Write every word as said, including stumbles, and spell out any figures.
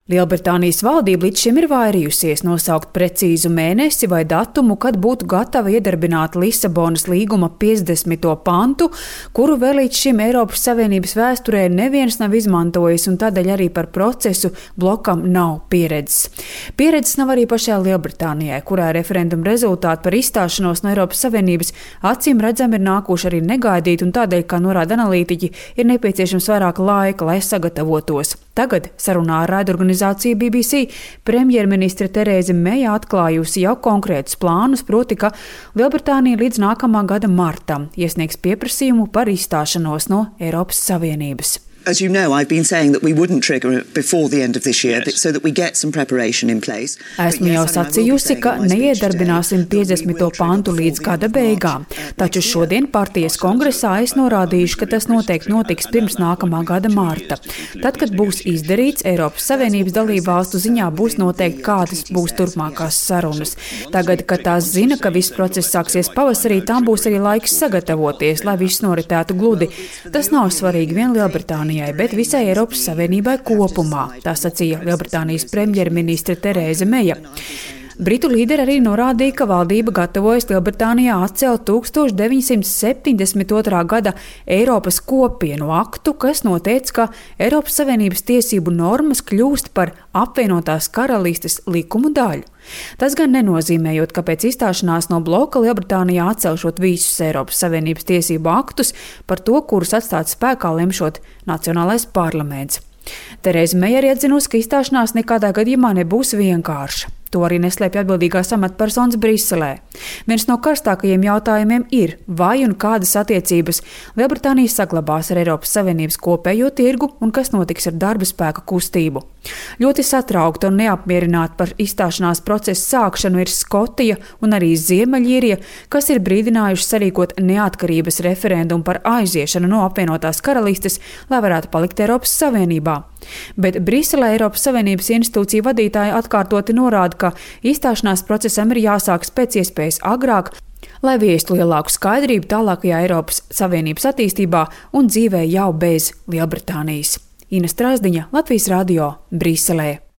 Lielbritānijas valdība līdz šim ir vairījusies nosaukt precīzu mēnesi vai datumu, kad būtu gatava iedarbināt Lisabonas līguma piecdesmito pantu, kuru vēl līdz šim Eiropas Savienības vēsturē neviens nav izmantojis, un tādēļ arī par procesu blokam nav pieredzes. Pieredzes nav arī pašai Lielbritānijai, kurā referenduma rezultāti par izstāšanos no Eiropas Savienības acīm redzami ir nākuši arī negaidīt, un tādēļ, kā norāda analītiķi, ir nepieciešams vairāk laika, lai sagatavotos. Tagad sarunā ar raidorganizāciju B B C premjerministre Terēze Meja atklājusi jau konkrētus plānus, proti, ka Lielbritānija līdz nākamā gada martam iesniegs pieprasījumu par izstāšanos no Eiropas Savienības. As you know, I've been saying that we wouldn't trigger it before the end of this year, yes. so that we get some preparation in place. Esmu jau sacījusi, ka neiedarbināsim piecdesmito pantu līdz gada beigām, taču šodien partijas kongresā es norādījuši, ka tas noteikti notiks pirms nākamā gada marta. Tad, kad būs izdarīts, Eiropas Savienības dalību valstu ziņā būs noteikti, kādas būs turpmākās sarunas. Tagad, kad tās zina, ka viss process sāksies pavasarī, tām būs arī laiks sagatavoties, lai viss noritētu gludi. Tas nav svarīgi vien Lielbritānijai, bet visai Eiropas Savienībai kopumā, tā sacīja Lielbritānijas premjerministre Terēze Meja. Britu līderi arī norādīja, ka valdība gatavojas Lielbritānijā atcelt tukstovš deviņsimt septiņdesmit otrā gada Eiropas kopienu aktu, kas noteica, ka Eiropas Savienības tiesību normas kļūst par apvienotās karalistes likumu daļu. Tas gan nenozīmējot, ka pēc izstāšanās no bloka Lielbritānijā atcelšot visus Eiropas Savienības tiesību aktus, par to, kurus atstāt spēkā lemšot Nacionālais parlaments. Terēze Meja arī atzinusi, ka izstāšanās nekādā gadījumā nebūs vienkārša. To arī neslēpj atbildīgās amatpersonas Briselē. Viens no karstākajiem jautājumiem ir, vai un kādas attiecības Lielbritānija saglabās ar Eiropas Savienības kopējo tirgu un kas notiks ar darba spēka kustību. Ļoti satraukta un neapmierināta par izstāšanās procesu sākšanu ir Skotija un arī Ziemeļīrija, kas ir brīdinājuši sarīkot neatkarības referendumu par aiziešanu no apvienotās karalistes, lai varētu palikt Eiropas Savienībā. Bet Briselē Eiropas Savienības institūciju vadītāji atkārtoti norāda, ka izstāšanās procesam ir jāsākas pēc iespējas agrāk, lai viestu lielāku skaidrību tālākajā Eiropas Savienības attīstībā un dzīvē jau bez Lielbritānijas. Ina Strāzdiņa, Latvijas radio, Briselē.